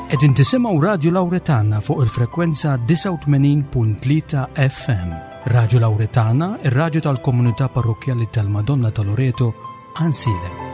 Qegħdin tisimgħu Radju Lawretana fuq il-frekwenza 89.3 FM. Radju Lawretana, ir-radju tal-komunità parrokkjali tal-Madonna ta' Loreto, Ansiedem.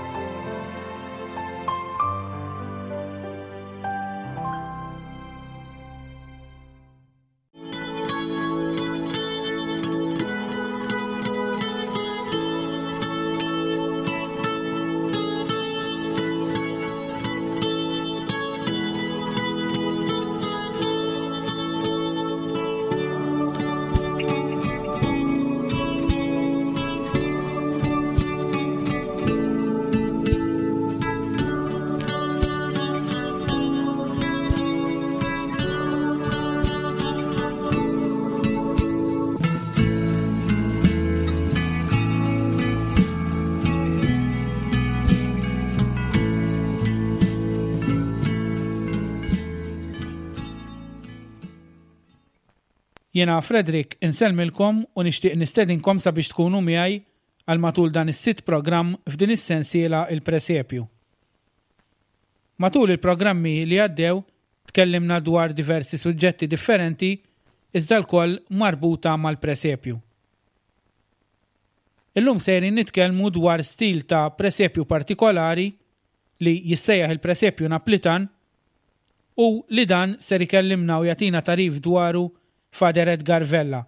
Jiena Frederick insellmilkom u nixtieq nistedinkom sabiex tkunu miegħi għal matul dan is-sitt programm f'din is-sensiela Il-Presepju. Matul il-programmi li għaddew tkellimna dwar diversi suġġetti differenti iżda lkoll marbuta mal-presepju. Illum sejrin nitkellmu dwar stil ta' presepju partikolari li jissejjaħ il-presepju Naplitan u li dan ser ikellimna u jagħtina tagħrif dwaru Father Edgar Vella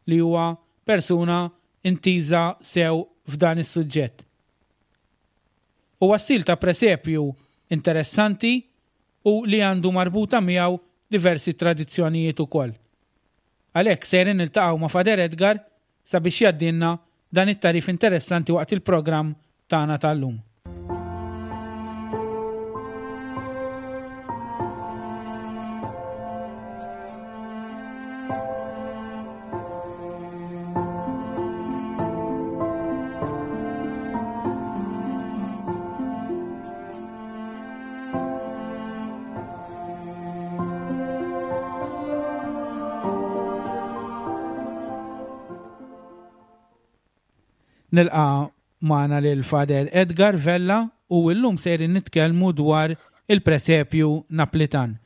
li huwa persuna intiża sew f'dan is-suġġett. Huwa stil ta' presepju interessanti u li għandu marbuta miegħu diversi tradizzjonijiet ukoll. Għalhekk sejrin niltaqgħu ma' Father Edgar sabiex jgħaddilna dan it-tagħrif interessanti waqt il-programm tagħna tal-lum. Nilqa' magħna lil Father Edgar Vella u llum sejrin nitkellmu dwar il-presepju Naplitan.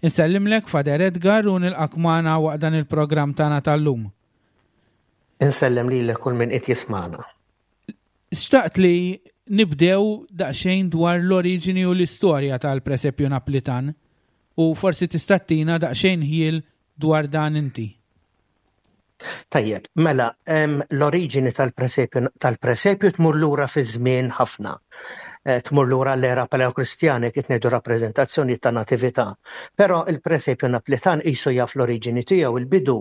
Insellimlek Father Edgar u nilqak magħna waqt dan il-programm tagħna tal-lum. Insellem lilek kull min qed jismagħna. Xtaqt li nibdew daqsxejn dwar l-oriġini u l-istorja tal-presepju Naplitan u forsi tista' ttina daqsxejn ħjiel dwar dan inti. Tajjeb, mela, l-oriġini tal-presepju tal-presepju tmur lura fiż-żmien ħafna. Eh, tmur lura l-era paleokristjana kif ngħidu rappreżentazzjoni ta' natività. Però il-presepju Naplitan qisu jaf l-oriġini tiegħu il-bidu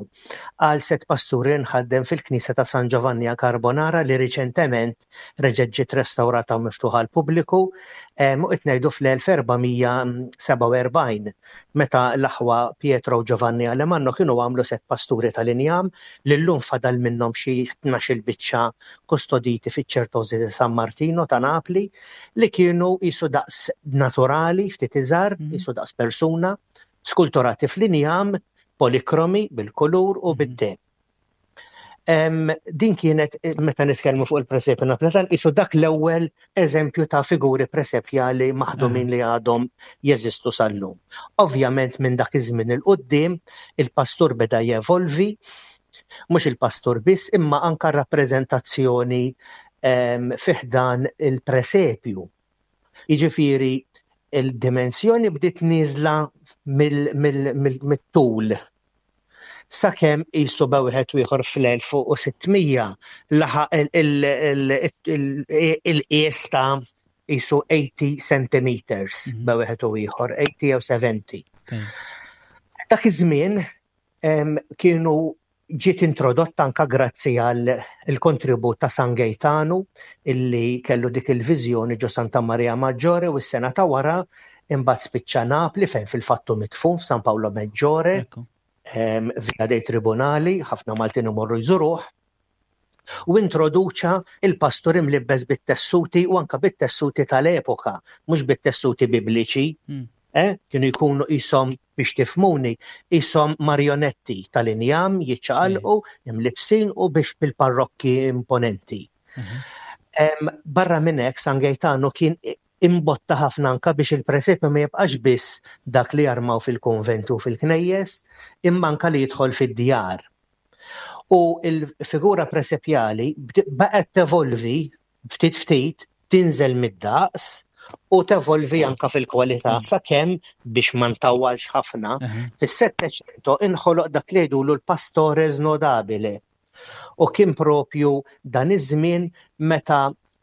għal set pasturi nħaddem fil-knisja ta' San Giovanni a Carbonara li riċentement reġgħet ġiet restawrata u miftuħa għall-pubbliku, u qed ngħidu fl-1447 meta l-aħwa Pietro u Giovanni Alemanno kienu għamlu set pasturi tal-injam li llum fadal minnhom xi 12-il biċċa kustoditi fiċ-Ċertosi di San Martino ta' Napli li kienu qisu daqs naturali ftit iżgħar, qisu daqs persuna, skulturati fl-injam, polikromi bil-kulur u bid-deheb. Din kienet, meta nitkellmu fuq il-presepju Napolitan, isu dak l-ewwel eżempju ta' figuri presepjali maħdumin li għadhom jeżistu sal-lum. Ovvjament minn dak iż-żmien 'il quddiem il-pastur beda jevolvi, mhux il-pastur biss, imma anka r-rappreżentazzjoni fi ħdan il-presepju. Jiġifieri il-dimensjoni bdiet nieżla mit-tul sakemm qisu be wieħed u ieħor fl-1600 laħaq il-qies ta' qisu 80 centimeters mhm. be wieħed u ieħor, 80 jew 70. Dak iż-żmien kienu ġiet introdotta anka grazzi għal il-kontribut ta' San Gejtanu illi kellu dik il-viżjoni ġo Santa Maria Maggiore u s-sena ta' wara imbagħad spiċċa Napli fejn fil-fattu mitfun f'San Paolo Maggiore Via dei Tribunali, ħafna Maltin imorru jżuruh, u introduċa il-pastur imlibbes bit-tessuti u anka bit-tessuti tal-epoka, mhux bit-tessuti bibliċi. Mm. Eh, kienu jkunu qishom biex tifmuni, qishom marionetti tal-injam jiċċaqalqu, mm. imlibsin u biex bil-parrokki imponenti. Mm -hmm. Barra minn hekk San Gaetano kien Imbotta ħafna anka biex il-presepju ma jibqax biss dak li jarmaw fil-kunventi u fil-knejjes, imma anka li jidħol fid-djar. U l-figura presepjali baqgħet tevolvi ftit ftit, tinżel mid-daqs u tevolvi anka fil-kwalità sakemm biex ma ntawwalx ħafna, fis-Settecento inħoloq dak li jgħidulu l-pastore snodabile. U kien propju dan iż-żmien meta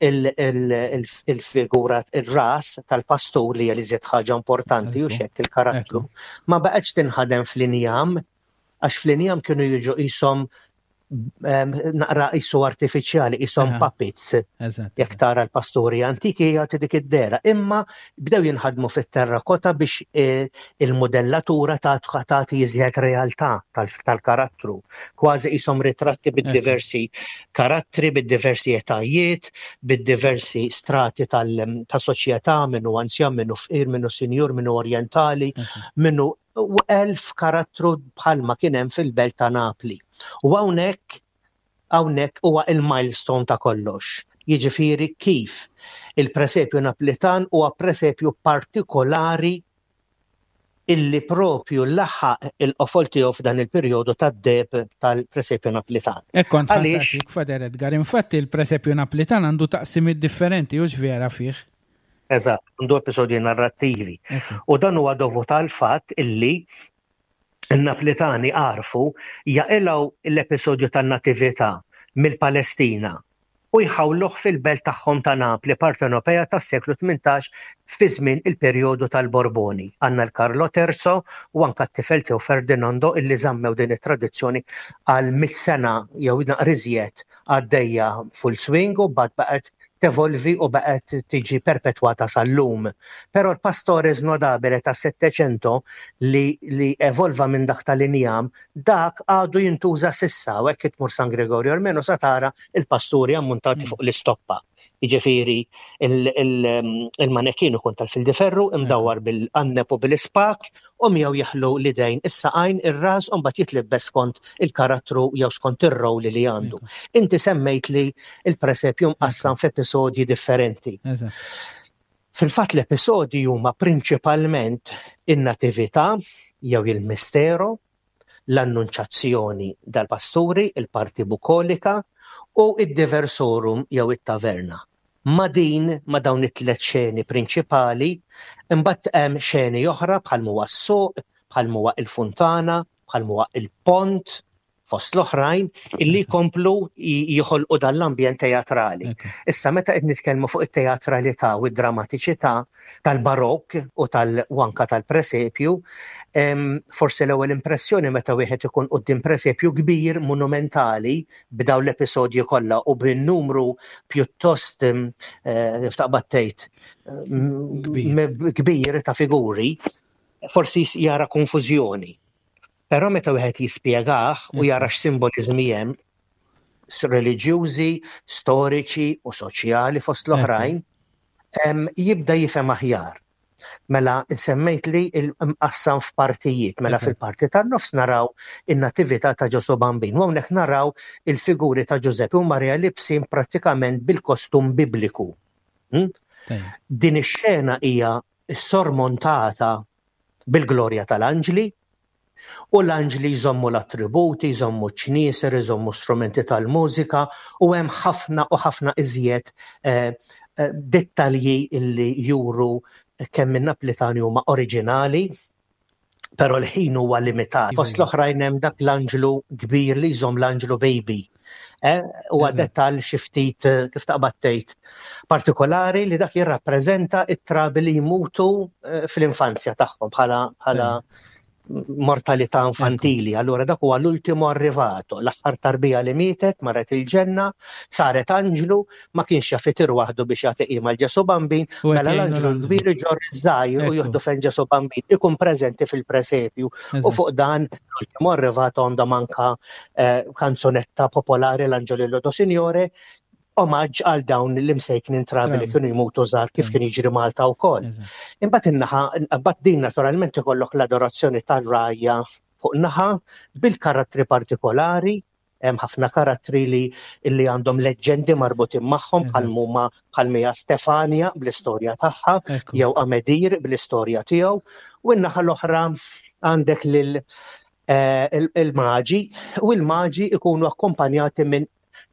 il-figura il-ras tal-pastur li hija l-iżjed ħaġa importanti u xekk il-karattru ma baqgħetx tinħadem fl-injam għax fl-injam kienu jiġu qishom naqra qisu artifiċjali, qishom puppets. Jekk tara l-pasturi antiki jagħti dik id-dera. Imma bdew jinħadmu fit-terrakota biex e, il-modellatura tagħti iżjed realtà tal-karattru. Kważi qishom ritratti bid-diversi karattri, bid-diversi etajiet, bid-diversi strati tal-soċjetà, minnu anzjan, minnu fqir, minnu sinjur, minnu orjentali, minnu u 1000 karattru bħalma kien hemm fil-belt ta' Napli. U hawnhekk hawnhekk huwa il-milestone ta' kollox. Jiġifieri kif il-presepju Naplitan huwa presepju partikolari illi propju laħaq il-qofol tiegħu f'dan il-perjodu tad-deheb tal-presepju Naplitan. Hekk kont ħa nsaqsik, Father Edgar, infatti il-presepju Naplitan għandu taqsimiet differenti, hux vera fih? Eżatt, għandu episodji narrattivi. U dan huwa dovut għal fatt illi n-Naplitani għarfu jaqilgħu l-episodju tan-Natività mill-Palestina u jħawluh fil-belt tagħhom ta' Napli Partenopea tas-seklu 18 fi żmien il-perjodu tal-Borboni. Għandna l-Carlo Terzo u anka t-tifel tiegħu Ferdinando illi żammew din it-tradizzjoni għal mit sena jew naqra iżjed għaddejja full swing u mbagħad baqgħet tevolvi u baqgħet tiġi perpetwata sal-lum. Però l-Pastore Snodabile tas-Settecento li, li evolva minn dak tal-injam, dak għadu jintuża s'issa u hekk tmur San Gregorio Armeno sa tara il-pasturi ammuntati fuq l-istoppa. Jiġifieri il-manekin ikun tal-fildiferru imdawwar bil-qanneb u bil-ispak u miegħu jeħlu l-idejn, is-saqajn, ir-ras u mbagħad jitlibbes skont il-karattru jew skont ir-role li għandu. Inti semmejt li il-presepju mqassam f'episodji differenti. Fil-fatt l-episodji huma prinċipalment in-natività jew il-mistero, l-annunċazzjoni dal-pasturi, il-parti bukolika, u id-diversorum jew it-taverna. Ma' din, ma' dawn it-tlet xeni prinċipali, imbagħad hemm xeni oħra bħal m'huwa s-suq, bħal m'huwa il-funtana, bħal m'huwa il-pont, fost l-oħrajn, illi jkomplu joħolqu dan l-ambjent teatrali. Issa meta qed nitkellmu fuq it-teatralità u d-drammatiċità tal-barokk u tal-wanka tal-presepju, forsi l-ewwel impressjoni meta wieħed ikun quddiem presepju kbir monumentali b'dawn l-episodji kollha u bin-numru pjuttost eh, taqbad tgħid kbir ta' figuri, forsi jara konfużjoni. Però meta wieħed jispjegah u jara x'simboliżmi hemm reliġjużi, storiċi u soċjali fost l-oħrajn, jibda jifhem aħjar. Mela semmejt li mqassam f'partijiet, mela fil-parti tan-nofs naraw in-natività ta' Ġesù Bambin. U hawnhekk naraw il-figuri ta' Ġużeppi u Marija libsin prattikament bil-kostum bibliku. Hmm? Din ix-xena hija sormontata bil-glorja tal-anġli, U l-anġli jżommu l-attributi, jżommu ċ-ċnieser, iżommu strumenti tal-mużika u hemm ħafna u ħafna iżjed eh, eh, dettalji illi juru kemm in-Naplitani huma oriġinali, però l-ħin huwa limitat. Fost iva. l-oħrajn hemm dak l-anġlu kbir li jżomm l-anġlu baby. Eh, huwa dettall xi ftit eh, kif taqbad tgħid partikolari li dak jirrappreżenta it-trabi li jmutu eh, fl-infanzja tagħhom bħala bħala mortalità infantili. Allura dak huwa l-ultimo arrivato, l-aħħar tarbija li mietet, marret il-ġenna, saret anġlu, ma kienx jaf itir waħdu biex jagħti qima l Ġesu Bambin, mela l-anġlu l-kbir iġorr iż-żgħir u jieħdu fejn Ġesu Bambin, ikun preżenti fil-presepju. U fuq dan l-ultimo arrivato għandhom anka eh, kanzunetta popolari l-Anġolillo do Signore, omaġġ għal dawn l-imsejknin trabi li kienu jmutu żgħar kif kien jiġri Malta wkoll. Imbagħad in-naħa, imbagħad din naturalment ikollok l-adorazzjoni tal-rajja fuq naħa bil-karattri partikolari. Hemm ħafna karattri li li għandhom leġġendi marbutin magħhom bħal huma bħal Mija Stefania bl-istorja tagħha jew Amedir bl-istorja tiegħu. U n-naħa l-oħra għandek lil eh, il-maġi u l-maġi ikunu akkompanjati minn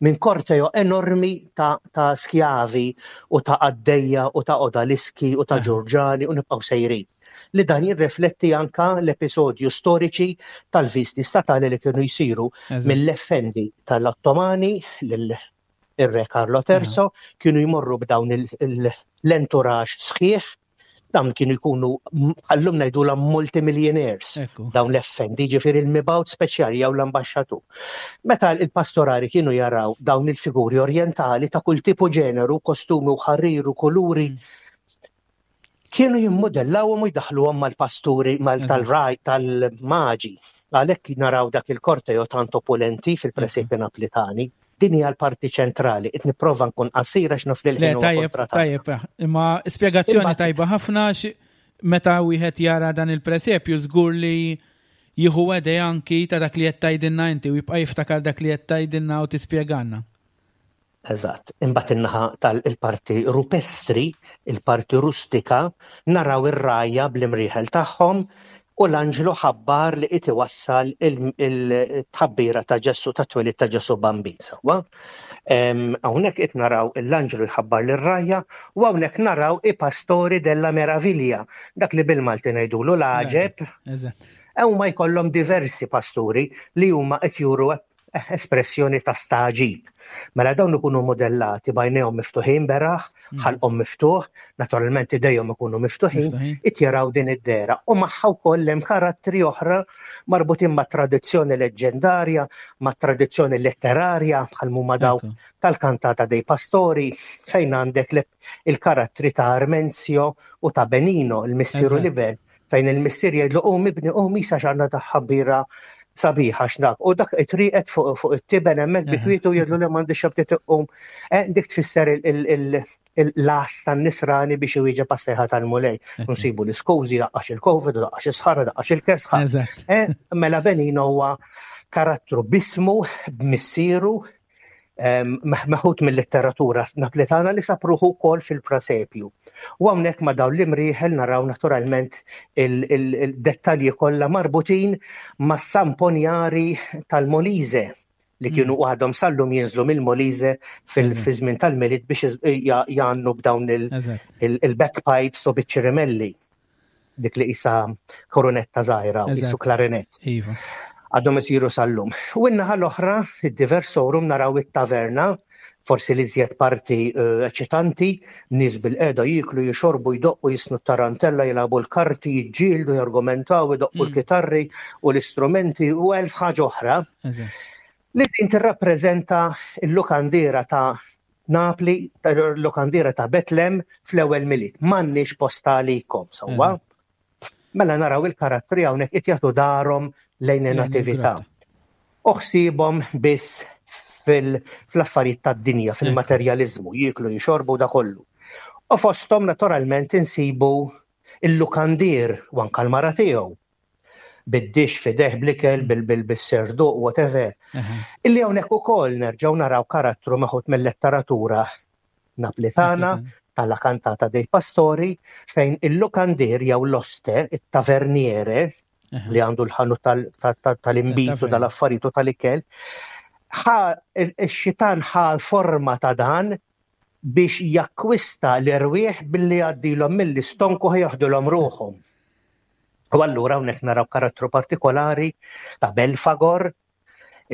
minn korteo enormi ta', ta skjavi u ta' qaddejja u ta' odaliski u ta' ġurġani u nibqgħu sejrin. Li dan jirrifletti anka l-episodju storiċi tal-visti statali li kienu jsiru mill-effendi tal-Ottomani lil ir-Re Carlo Terzo kienu jmorru b'dawn l-entourage sħiħ dawn kienu jkunu għallum ngħidulhom multimillionaires dawn l-effendi, ġifieri il-mibgħut speċjali jew l-ambaxxatur. Meta il-pastorari kienu jaraw dawn il-figuri orjentali ta' kull tipu ġeneru, kostumi u ħarrir u kuluri, kienu jimmodellawhom u jdaħħluhom mal-pasturi mal tal-raj tal-maġi. Għalhekk naraw dak il-korteo tant opulenti fil-presepi Naplitani. Din hija l-parti ċentrali. Qed nipprova nkun qasir għax naf li l-ħin huwa Tajjeb, tajjeb, imma spjegazzjoni tajba ħafna meta wieħed jara dan il-presepju żgur li jieħu idea anki ta' dak li qed tgħidilna inti u jibqa' jiftakar dak li qed tgħidilna u tispjegalna. Eżatt. Imbagħad in-naħa tal-parti rupestri, il-parti rustika, naraw ir-rgħajja bl-imrieħel tagħhom u l-anġlu ħabbar li qed iwassal il-tħabbira ta' Ġesù tat-twelid ta' Ġesù Bambin sewwa. Hawnhekk qed naraw l-anġlu jħabbar lir-rgħajja u hawnhekk naraw i pastori della meraviglia, dak li bil-Malti ngħidulu l-għaġeb. Huma jkollhom diversi pasturi li huma qed juru espressjoni ta' stagħġib. Mela dawn ikunu modellati b'għajnejhom miftuħin beraħ, mm. ħalqhom miftuħ, naturalment idejhom ikunu miftuħin, it jaraw din id-dera. U magħha wkoll hemm karattri oħra marbutin ma' tradizzjoni leġġendarja, ma' tradizzjoni letterarja bħal huma dawk tal-kantata dei pastori, fejn għandek il-karattri ta' Armenzio u ta' Benino, il-missieru Liben, fejn il-missier jgħidlu qum ibni qum isa x'għandna ta' ħabbira sabiħa x'dak. U dak it-triqet fuq it-tiben hemmhekk bi kwietu jgħidlu li m'għandix xabti tqum. Eh, dik tfisser l-as tan-nisrani biex iwieġeb għas-sejħa tal-Mulej. Nsibu l-iskużi daqqax il-Covid, daqqax is-sħara, daqqax il-kesħa. Eh, mela Benino huwa karattru bismu, b'missieru, meħud mill-letteratura Naplitana li sab ruħu wkoll fil-presepju. U hawnhekk ma' dawn l-imrieħel naraw naturalment il-dettalji kollha marbutin mas-samponjari tal-Molise li kienu mm. għadhom sallum jinżlu mill-Molise fil-żmien tal-Milied biex jgħannu b'dawn il-backpipes u biċ-ċirimelli. dik li qisha korunetta żgħira u qisu klarinett. Iva. Għadhom isiru sal-lum. U n-naħa l-oħra, id-diversorum naraw it-taverna, forsi li żjed parti eh, eċitanti, nies bil-qeda jiklu, jixorbu, jdoqqu, jisnu tarantella, jilagħbu l-karti, jiġġieldu, jargumentaw, idoqqu mm. l-kitarri u l-istrumenti u elf ħaġa oħra. Li din tirrappreżenta l-lukandiera ta' Napli, l-lukandiera ta' Betlem fl-ewwel Milied. M'għandniex post għalikom, sewwa. Mela naraw il-karattri hawnhekk qed jagħtu darhom lejn in-natività. U ħsiebhom biss fl-affarijiet tad-dinja, fil-materjaliżmu, jieklu, jixorbu da kollu. U fosthom naturalment insibu il-lukandier u anka l-mara tiegħu bid-dix fideh bl-ikel, bil-serduq, whatever. Illi hawnhekk ukoll nerġgħu naraw karattru meħud mill-letteratura Naplitana, tal-La Cantata dei Pastori, fejn il-lukandier jew l-oste, it-taverniere, li għandu l-ħanut tal-imbitu, tal-affarijiet u tal-ikel, ix-xitan ħa forma ta' dan biex jakkwista l-erwieħ billi jgħaddilhom mill-istonku ħa jaħdulhom ruħhom. U allura hawnhekk naraw karattru partikolari ta' Belfagor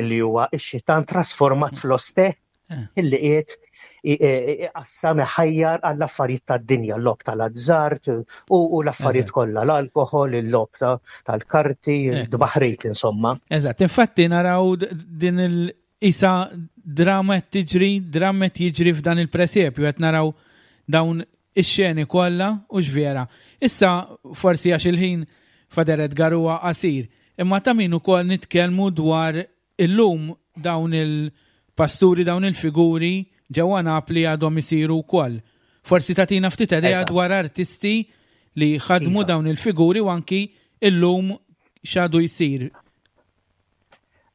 illi huwa x-xitan trasformat fl-oste eh. illi qiegħed iqassam iħajjar għall-affarijiet tad-dinja, l-lob tal-azzart u l-affarijiet kollha, l-alkoħol, il-lob tal-karti, d-baħrit insomma. Eżatt, infatti naraw din il- Isa drama qed tiġri, dramma qed jiġri f'dan il-presepju qed naraw dawn ix-xeni kollha u x'vera. Issa forsi għax il-ħin Father Edgar huwa qasir, imma ta' min ukoll nitkellmu dwar illum dawn il-pasturi, dawn il-figuri ġewwa Napli għadhom isiru wkoll. Forsi tagħtina ftit idea dwar artisti li ħadmu iva. dawn il-figuri u anki illum x'għadu jsir.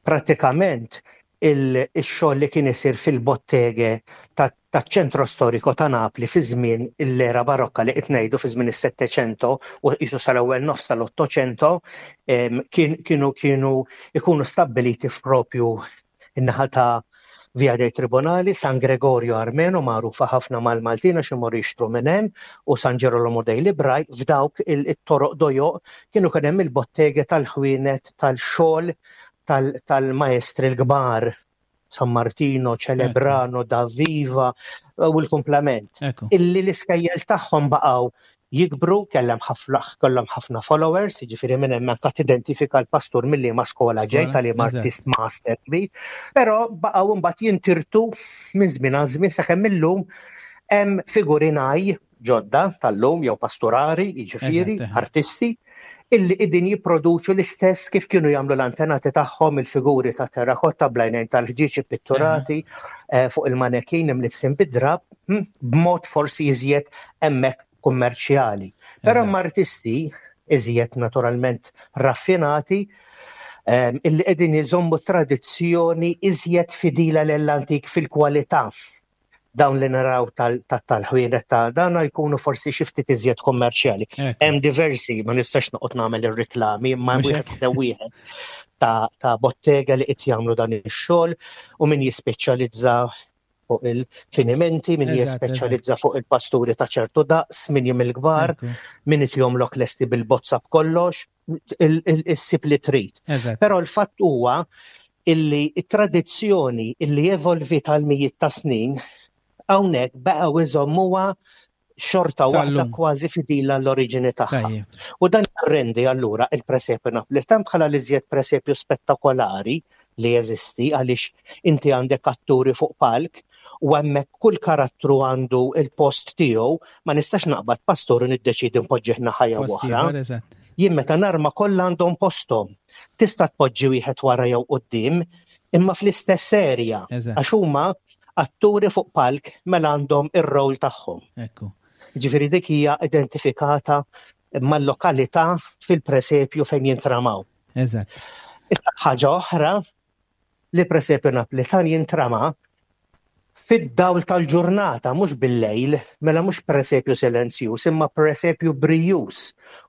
Prattikament. Il-xogħol li kien isir fil-bottege taċ-ċentro storico ta' Napli fi żmien l-era barokka li qed ngħidu fi żmien is-Settecento u qisu sal-ewwel nofs tal-Ottocento kienu kienu ikunu stabbiliti f'propju in-naħa ta' Via dei Tribunali, San Gregorio Armeno magħrufa ħafna mal-Maltin għax imorru jixtru minn hemm u San Ġerolomo dei Librai f'dawk it-toroq dojoq kienu kien hemm il-bottege tal-ħwienet tal-xogħol tal-maestri l-kbar, San Martino, Celebrano, Da Viva u l-kumplament. Illi l-iskejjel tagħhom baqgħu jikbru, kellhom ħafna kellhom ħafna followers, jiġifieri minn hemm anke tidentifika l-pastur milli ma skola ġej tal artist master kbir, però baqgħu mbagħad jintirtu minn żmien għal żmien sakemm illum hemm figurinaj ġodda tal-lum jew pasturari, jiġifieri artisti, illi qegħdin jipproduċu l-istess kif kienu jagħmlu l-antenati tagħhom il-figuri ta' terrakotta blajnejn tal-ħġieġ ippitturati eh, fuq il-manekin imlibsin bid-drab hm, b'mod forsi iżjed hemmhekk kummerċjali. Però hemm artisti iżjed naturalment raffinati ehm, illi qegħdin iżommu tradizzjoni iżjed fidila l-antik fil-kwalità dawn li naraw tal-ħwienet ta' dana jkunu forsi xi ftit iżjed kummerċjali. Hemm diversi, ma nistax noqgħod nagħmel ir-riklami, imma wieħed ħdew wieħed ta' bottega li qed jagħmlu dan ix-xogħol u min jispeċjalizza fuq il-finimenti, min jispeċjalizza fuq il-pasturi ta' ċertu daqs, min jum il-kbar, min qed jomlok lesti bil-bozza b'kollox, issib li trid. Però l-fatt huwa illi it-tradizzjoni illi evolvit għal mijiet ta' snin hawnhekk baqgħu iżommuha xorta waħda kważi fidila l-oriġini tagħha. U dan rendi allura il-presepju Napolitan bħala l-iżjed presepju spettakolari li jeżisti għaliex inti għandek atturi fuq palk u hemmhekk kull karattru għandu il-post tiegħu, ma nistax naqbad pastor u niddeċiedi npoġġih naħa jew oħra. Jien meta narma kollha għandhom posthom. Tista' tpoġġi wieħed wara jew quddiem, imma fl-istess erja għax huma atturi fuq palk mela għandhom ir-rol tagħhom. Ekku. Ġifieri dik hija identifikata mal-lokalità fil-presepju fejn jintramaw. Eżatt. Issa ħaġa oħra li presepju Naplitan jintrama fid-dawl tal-ġurnata, mhux bil-lejl, mela mhux presepju silenzjuż, imma presepju brijuż.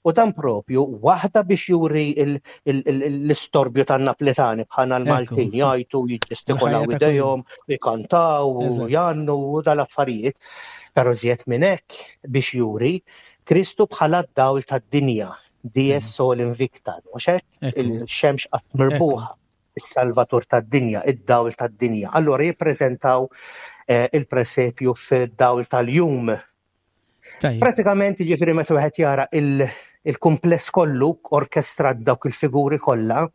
U dan propju waħda biex juri l-istorbju tan-Naplitani bħalna l-Maltin jgħajtu, jiġġestikolaw idejhom, jkantaw, u jgħannu u dal-affarijiet. Però żjed minn hekk biex juri Kristu bħala d-dawl tad-dinja, dies sol invicta, mhux hekk? Il-xemx qatt mirbuħa is-salvatur tad-dinja, id-dawl tad-dinja. Allura jippreżentaw eh, il-presepju fid-dawl tal-jum. Pratikament ġifieri meta wieħed jara il-kumpless kollu orkestrat dawk il-figuri kollha,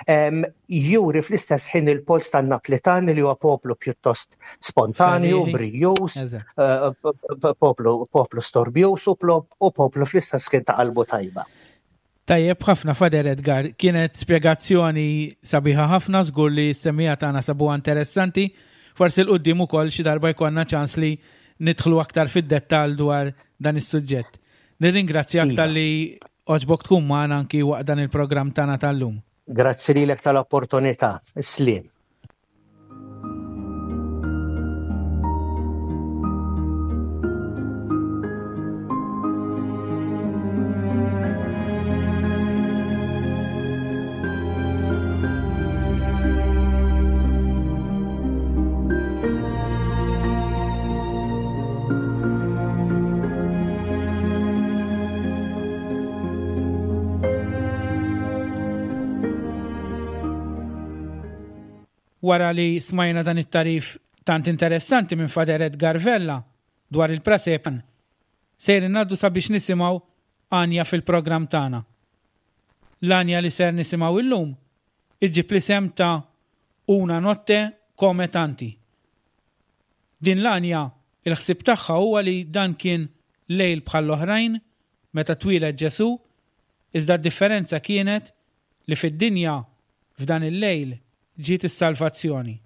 juri fl-istess ħin il-pols tan-Naplitan li huwa poplu pjuttost spontanju, brijus, eh, poplu poplu storbjus u poplu fl-istess ħin ta' qalbu tajba. Tajjeb ħafna Father Edgar, kienet spjegazzjoni sabiħa ħafna, żgur li s-semmiegħa tagħna sabuha interessanti. Forsi 'l quddiem ukoll xi darba jkollna ċans li nidħlu aktar fid-dettall dwar dan is-suġġett. Nirringrazzjak iva. talli għoġbok tkun magħna anki waqt dan il-programm tagħna tal-lum. Grazzi lilek tal-opportunità. Is-sliem. Wara li smajna dan it-tagħrif tant interessanti minn Father Edgar Vella dwar il-presepju, sejrin ngħaddu sabiex nisimgħu għanja fil-programm tagħna. L-għanja li ser nisimgħu illum iġġib l-isem ta' Una notte come tanti. Din l-għanja, il-ħsieb tagħha huwa li dan kien lejl bħall-oħrajn meta twieled Ġesù, iżda d-differenza kienet li fid-dinja f'dan il-lejl ġiet is-salvazzjoni.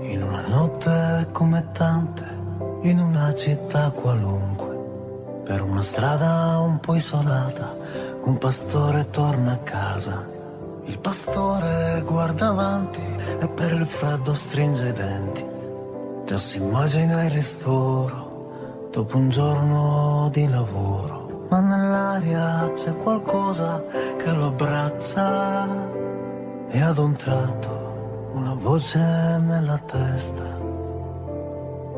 In una notte come tante, in una città qualunque, per una strada un po' isolata, un pastore torna a casa. Il pastore guarda avanti e per il freddo stringe i denti. Già si immagina il ristoro dopo un giorno di lavoro. Ma nell'aria c'è qualcosa che lo abbraccia e ad un tratto una voce nella testa.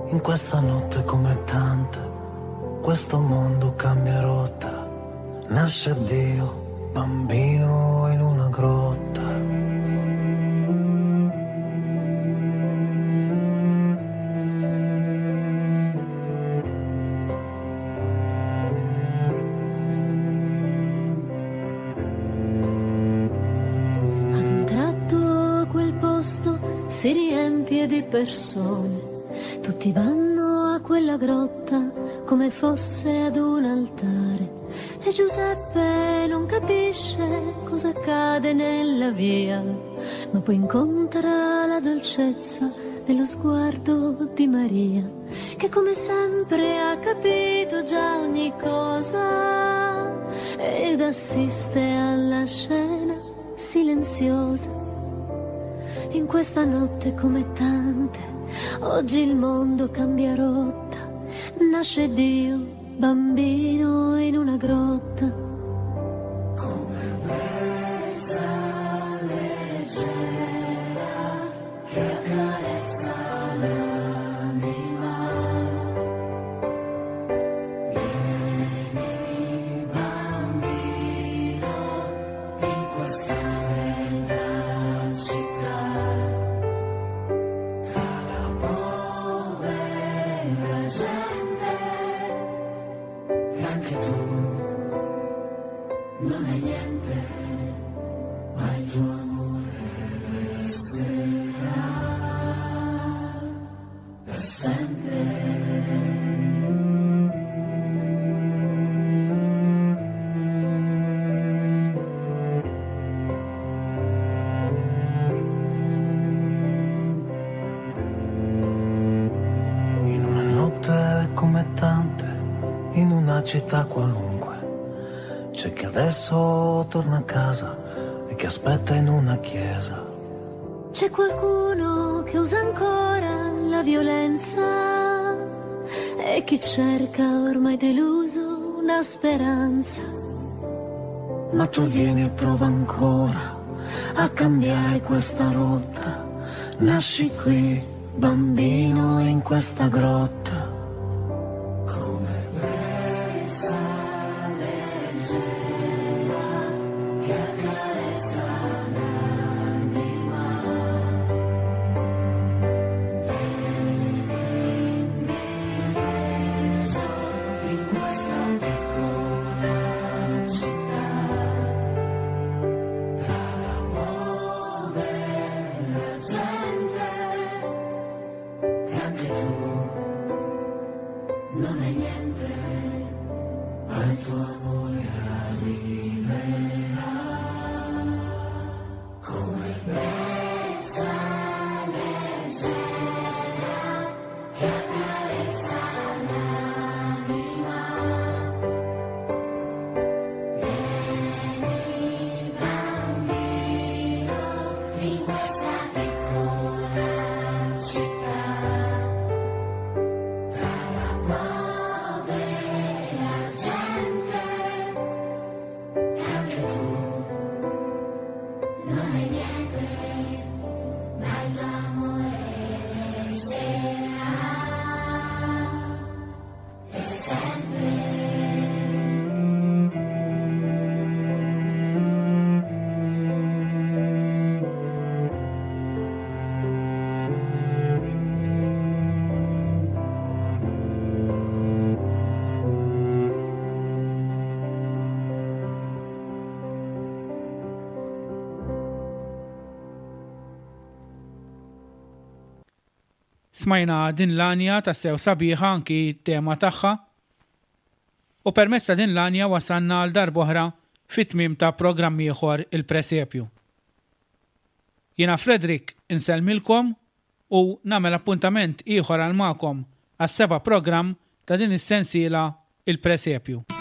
In questa notte come tante, questo mondo cambia rotta. Nasce Dio, bambino in una grotta. Ad un tratto quel posto si riempie di persone. Tutti vanno a quella grotta come fosse ad un altare. E Giuseppe non capisce cosa accade nella via, ma poi incontra la dolcezza dello sguardo di Maria, che come sempre ha capito già ogni cosa ed assiste alla scena silenziosa. In questa notte come tante, oggi il mondo cambia rotta, nasce Dio bambino in una grotta. Come brezza leggera che accarezza l'anima. Vieni bambino in questa fredda città, tra la povera gente. E anche tu non hai niente, ma il tuo amore resterà per sempre. In una notte come tante, in una città qualunque, c'è chi adesso torna a casa e che aspetta in una chiesa. C'è qualcuno che usa ancora la violenza e chi cerca ormai deluso una speranza. Ma tu vieni e prova ancora a cambiare questa rotta. Nasci qui, bambino, in questa grotta. Come brezza leggera che accarezza l'anima. Vieni indifeso in questa piccola città, tra la povera gente, e anche tu non hai niente, ma il tuo amore arriverà come brezza leggera che accarezza l'anima. Vieni bambino in questa piccola città, tra la povera gente, e anche tu non hai niente, ma il tuo amore resterà per sempre. Smajna din l-għanja tassew sabiħa anki tema tagħha. U permezz ta' din l-għanja wasalna għal darb'oħra fit-tmiem ta' programm ieħor il-Presepju. Jiena Frederick insellmilkom u nagħmel appuntament ieħor għal magħkom għas-seba' programm ta' din is-sensiela Il-Presepju.